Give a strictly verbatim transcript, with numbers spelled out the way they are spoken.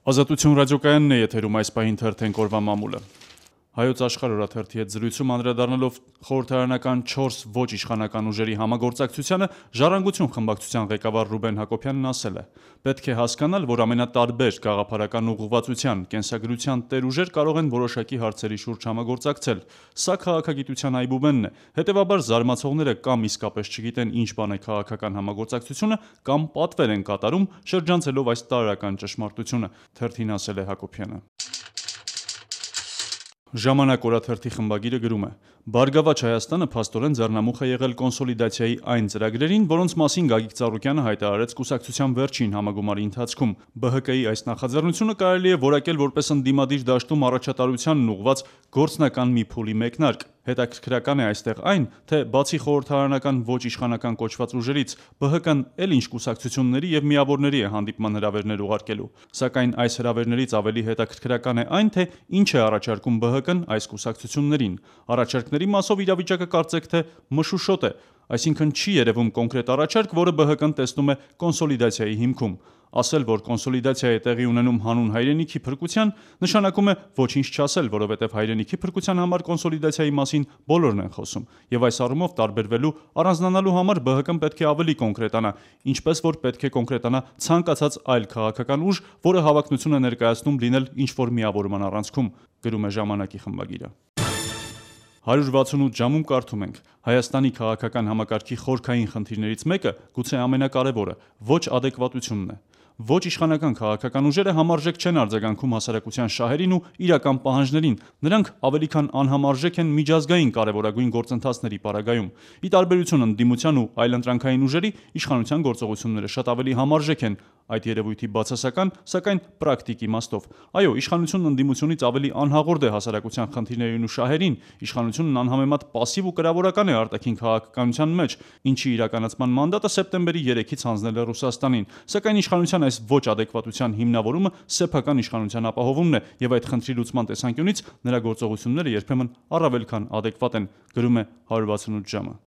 Ազատություն ռադիոկայանն է եթերում այս պահին թերթենք օրվա մամուլը։ Հայոց աշխարհ օրաթերթի հետ զրույցում անդրադառնալով խորհրդարանական չորս ոչ իշխանական ուժերի համագործակցությանը, Ժառանգություն խմբակցության ղեկավար Ռուբեն Հակոբյանն ասել է. «Պետք է հասկանալ, որ ամենատարբեր գաղափարական ուղղվածության, կենսագրության տեր ուժեր կարող են որոշակի հարցերի շուրջ համագործակցել։ Սա քաղաքագիտության այբուբենն է, հետևաբար զարմացողները կամ իսկապես չգիտեն ինչ բան է քաղաքական համագործակցությունը, կամ պատվեր են կատարում՝ շրջանցելով այս տարրական ճշմարտությունը», թերթին ասել է Հակոբյանը։ Ժամանակ օրաթերթի խմբագիրը գրում է. «Բարգավաճ Հայաստանը փաստորեն ձեռնամուխ է եղել կոնսոլիդացիայի այն ծրագրերին, որոնց մասին Գագիկ Ծառուկյանը հայտարարեց կուսակցության վերջին համագումարի ընթացքում։ Բ Հ Կ-ի այս նախաձեռնությունը կարելի է որակել որպես ընդդիմադիր դաշտում առաջատարությանն ուղղված գործնական մի փուլի մեկնարկ։ Հետաքրքրական է այստեղ այն, թե բացի խորհրդարանական ոչ իշխանական կոչված ուժերից, Բ Հ Կ-ն էլ ինչ կուսակցությունների եւ միավորների է հանդիպման հրավերներ ուղարկելու։ Սակայն այս հրավերներից ավելի հետաքրքրական է այն, թե ինչ է առաջարկում Բ Հ Կ-ն այս կուսակցություններին։ Առաջարկների մասով իրավիճակը կարծեք թե մշուշոտ է, այսինքն չի երևում կոնկրետ առաջարկ, որը Բ Հ Կ-ն տեսնում է կոնսոլիդացիայի հիմքում։ Ասել, որ կոնսոլիդացիա է տեղի ունենում հանուն հայրենիքի փրկության, նշանակում է ոչինչ չասել, որովհետև հայրենիքի փրկության համար կոնսոլիդացիայի մասին բոլորն են խոսում, եւ այս առումով տարբերվելու, առանձնանալու համար Բ Հ Կ-ն պետք է ավելի կոնկրետանա, ինչպես որ պետք է կոնկրետանա ցանկացած այլ քաղաքական ուժ, որը հավակնություն է ներկայացնում լինել ինչ-որ միավորման առանցքում», գրում է Ժամանակի խմբագիրը։ հարյուր վաթսունութ ժամում կարդում ենք. «Հայաստանի քաղաքական համակարգի խորքային խնդիրներից մեկը, գուցե ամենակարևորը, ոչ ադեկվատությունն է։ Ոչ իշխանական քաղաքական ուժերը համարժեք չեն արձագանքում հասարակության շահերին ու իրական պահանջներին, նրանք ավելի քան անհամարժեք են միջազգային կարևորագույն գործընթացների պարագայում։ Ի տարբերություն ընդդիմության ու այլընտրանքային ուժերի, իշխանության գործողությունները շատ ավելի համարժեք են այդ երևույթի բացասական, սակայն պրակտիկ իմաստով։ Այո, իշխանությունն ընդդիմությունից ավելի անհաղորդ է հասարակության խնդիրներին ու շահերին, իշխանությունն անհամեմատ պասիվ ու կրավորական է արտաքին քաղաքականության մեջ, ինչի իրականացման մանդատը սեպտեմբերի երեքից հանձնել է Ռուսաստանին։ Սակայն իշխանության այս ոչ ադեկվատության հիմնավորումը սեփական իշխանության ապահովումն է, եւ այդ խնդրի լուծման տեսանկյունից նրա գործողությունները երբեմն առավել քան ադեկվատ են», գրում է հարյուր վաթսունութ ժամը։